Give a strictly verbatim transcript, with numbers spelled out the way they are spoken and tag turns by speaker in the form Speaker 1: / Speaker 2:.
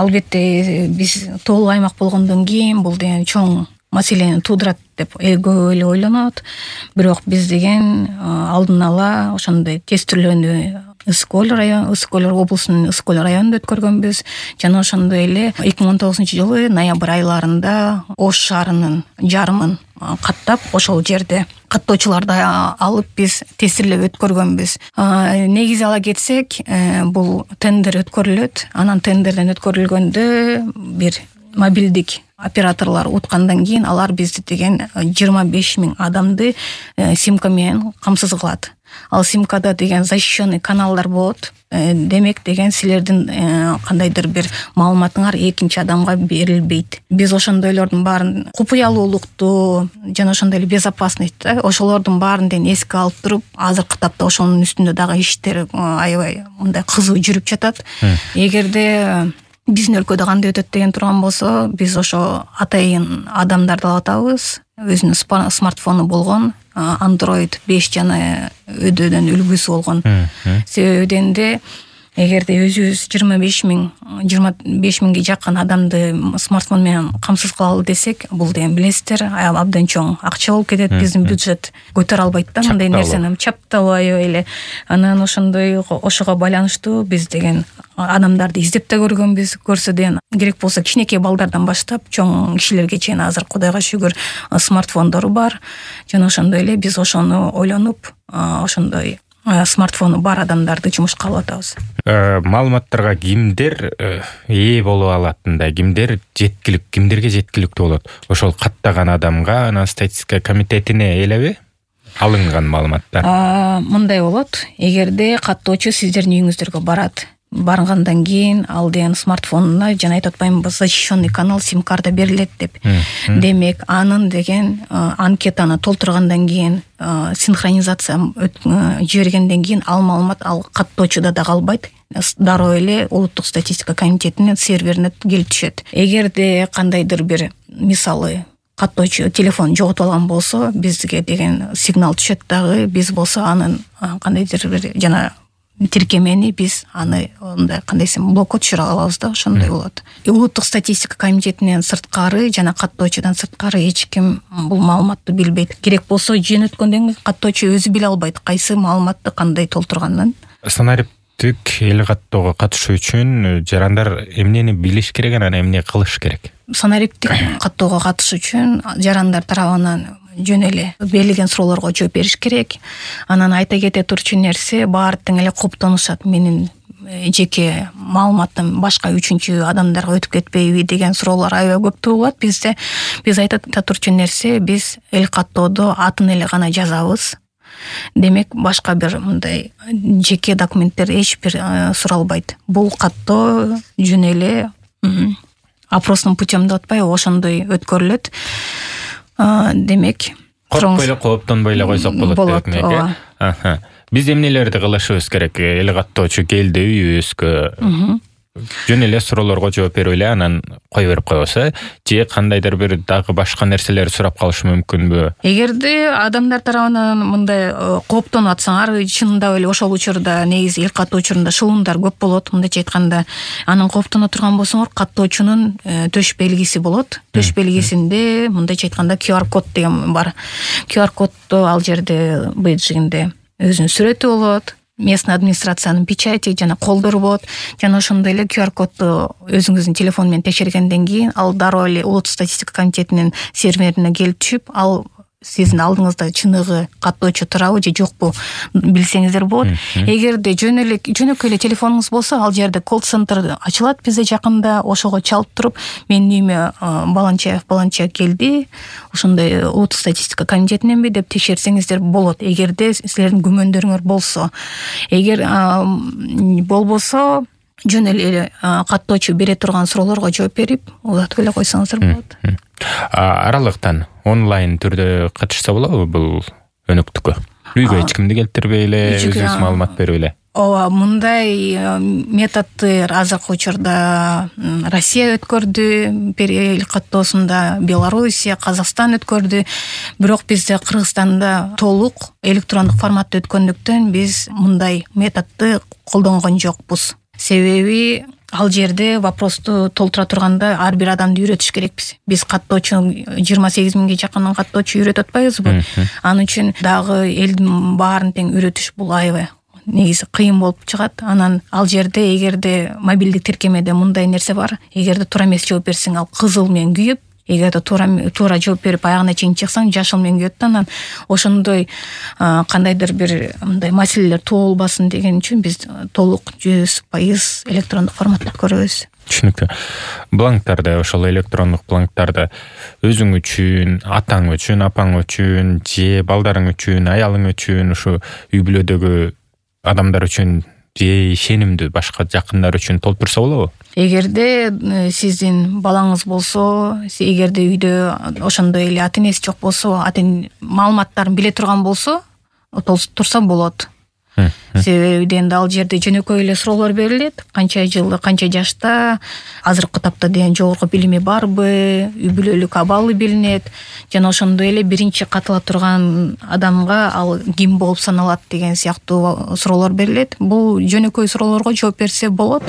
Speaker 1: албетте биз тоолуу аймак болгондон кийин бул деген чоң маселени туудурат деп көп эле ойлонот. Бирок биз деген алдын ала ошондой тестирлөөнү Ысык Көл район, Ысык Көл облусунун Ысык Көл районунда өткөргөнбүз. Жана ошондой эле эки миң он тогузунчу жылы ноябрь айларында Ош шаарынын жарымын каттап, ошол жерде каттоочуларды алып биз тестирлеп өткөргөнбүз. Негизи ала кетсек, бул тендер өткөрүлөт. Анан тендерден өткөрүлгөндө бир мобилдик операторлор уткандан кийин алар бизди деген жыйырма беш миң адамды симка менен камсыз кылат. Ал симкада деген защищенный каналдар болот. Демек деген силердин кандайдыр бир маалыматыңар экинчи адамга берилбейт. Биз ошондойлордун баарын купуялуулукту жана ошондой эле безопасность ошолордун баарын деген эске алып туруп, азыркы тапта ошонун үстүндө дагы иштер аябай мындай кызуу жүрүп жатат. Эгерде биздин өлкөдө кандай өтөт деген турган болсо, биз ошо атайын адамдарды алып атабыз. Өзүнүн смартфону болгон, Android беш жана өдөдөн үлгүсү болгон. Себеби дегенде, эгерде өзүбүз жыйырма беш миң жыйырма беш миңге жакын адамды смартфон менен камсыз кылалы десек, бул деген билесиздер, абдан чоң акча болуп кетет. Биздин бюджет көтөрө албайт да мындай нерсени, чапталуу аябай эле. Анан ошондой ошого байланыштуу биз деген адамдарды издеп да көргөнбүз. Көрсө деген керек болсо кичинекей балдардан баштап чоң кишилерге чейин азыр Кудайга шүгүр смартфондору бар. Жана ошондой эле биз ошону ойлонуп, ошондой смартфону бар адамдарды жумушка алып атабыз.
Speaker 2: Маалыматтарга кимдер ээ боло алатындай, кимдер жеткилик, кимдерге жеткиликтүү болот? Ошол каттаган адамга, анан статистика комитетине элеби алынган маалыматтар?
Speaker 1: Мындай болот. Эгерде каттоочу сиздердин үйүңүздөргө барат, баргандан кийин ал деген смартфонуна жана айтып атпаймынбы, защищенный канал сим-карта берилет деп. Демек, анын деген анкетаны толтургандан кийин, синхронизация жибергенден кийин ал маалымат ал каттоочуда да калбайт. Дароо эле улуттук статистика комитетинин серверине келип түшөт. Эгерде кандайдыр бир, мисалы, каттоочу телефон жоготуп алган болсо, бизге деген сигнал түшөт дагы, биз болсо анын кандайдыр бир жана тиркемени биз аны ондай кандай десем блокко түшүрө алабыз да, ошондой болот. Улуттук статистика комитетинен сырткары жана каттоочудан сырткары эч ким бул маалыматты билбейт. Керек болсо жөнөткөндөн кийин каттоочу өзү биле албайт кайсы маалыматты кандай толтурганын.
Speaker 2: Санариптик эл каттоого катышуу үчүн жарандар эмнени билиш керек, анан эмне кылыш керек?
Speaker 1: Санариптик каттоого катышуу үчүн жарандар тарабынан жөн эле берилген суроолорго жооп бериш керек. Анан айта кете турчу нерсе, баары тең эле коптонушат. Менин жеке маалыматым башка үчүнчү адамдарга өтүп кетпейби деген суроолор аябай көп туулат бизде. Биз айта турчу нерсе, биз эл каттоодо атын эле гана жазабыз. Демек, башка бир мындай жеке документтер эч бир суралбайт. Бул каттоо жөн эле опросный путем деп атпайбы, ошондой өткөрүлөт. Демек,
Speaker 2: коркпой эле, кооптонбой эле койсок болот деп эле. Аха. Биз эмнелерди кылышыбыз керек? Эл каттоочу келди үйүбүзгө. Жөн эле суроолорго жооп берип эле анан кое берип койбосо, же кандайдыр бир дагы башка нерселер сурап калышы мүмкүнбү? Эгерде
Speaker 1: адамдар тарабынан мындай кооптонуп атсаңар, чынында эле ошол учурда негизи эл каттоо учурунда шылуундар көп болот. Мындайча айтканда, анын кооптоно турган болсоңор, каттоочунун төш белгиси болот. Төш белгисинде мындайча айтканда ку ар код деген бар. ку ар коддо ал жерде бейджигинде өзүнүн сүрөтү болот. Местный администрациянын печати жана колдору болот. Жана ошондой эле ку ар кодду өзүңүздүн телефон менен текшергенден кийин ал дароо эле улуттук статистика комитетинин серверине келип түшүп, ал сиздин алдыңызда чыныгы каттоочу турабы же жокпу билсеңиздер болот. Эгерде жөн эле жөнөкөй эле телефонуңуз болсо, ал жерде колл-центр ачылат бизде жакында, ошого чалып туруп, менин үйүмө Баланчаев Баланча келди, ошондой улуттук статистика комитетиненби деп текшерсеңиздер болот. Эгерде силердин күмөндөрүңөр болсо, эгер болбосо, жөн эле каттоочу бере турган суроолорго жооп берип, улатып эле койсоңуздар болот.
Speaker 2: Аралыктан онлайн түрдө катышса болобу бул өнөктүккө? Үйгө эч кимди келтирбей эле, өзүңүз маалымат берип эле.
Speaker 1: Ооба, мындай методдор азыркы учурда Россия өткөрдү, эл каттоосунда Белоруссия, Казакстан өткөрдү. Бирок бизде Кыргызстанда толук электрондук форматта өткөндүктөн биз мындай методду колдонгон жокпуз. Себеби ал жерде вопросту толтура турганда ар бир адамды үйрөтүш керекпиз. Биз каттоочу жыйырма сегиз миңге жакын каттоочу үйрөтүп атпайбызбы? Анын үчүн дагы элдин баарын тең үйрөтүш бул аябай негизи кыйын болуп чыгат. Анан ал жерде эгерде мобилдик тиркемеде мындай нерсе бар, эгерде туура эмес жооп берсең ал кызыл менен күйүп, эгерде туура туура жооп берип аягына чейин чыксаң жашыл менен күйөт да. Анан ошондой кандайдыр бир мындай маселелер туулбасын деген үчүн биз толук жүз пайыз электрондук форматта көрөбүз.
Speaker 2: Түшүнүктүү. Бланктарды, ошол электрондук бланктарды өзүң үчүн, атаң үчүн, апаң үчүн, же балдарың үчүн, аялың үчүн, ушу үй бүлөдөгү адамдар үчүн же ишенимдүү башка жакындар үчүн толтурса болобу?
Speaker 1: Эгерде сиздин балаңыз болсо, эгерде үйдө ошондой эле ата энеси жок болсо, атын маалыматтарын биле турган болсо, толтурса болот. Себеби дегенде ал жерде жөнөкөй эле суроолор берилет. Канча жылы, канча жашта, азыркы тапта деген жогорку билими барбы, үй бүлөлүк абалы билинет. Жана ошондой эле биринчи катыла турган адамга ал ким болуп саналат деген сыяктуу суроолор берилет. Бул жөнөкөй суроолорго жооп берсе болот.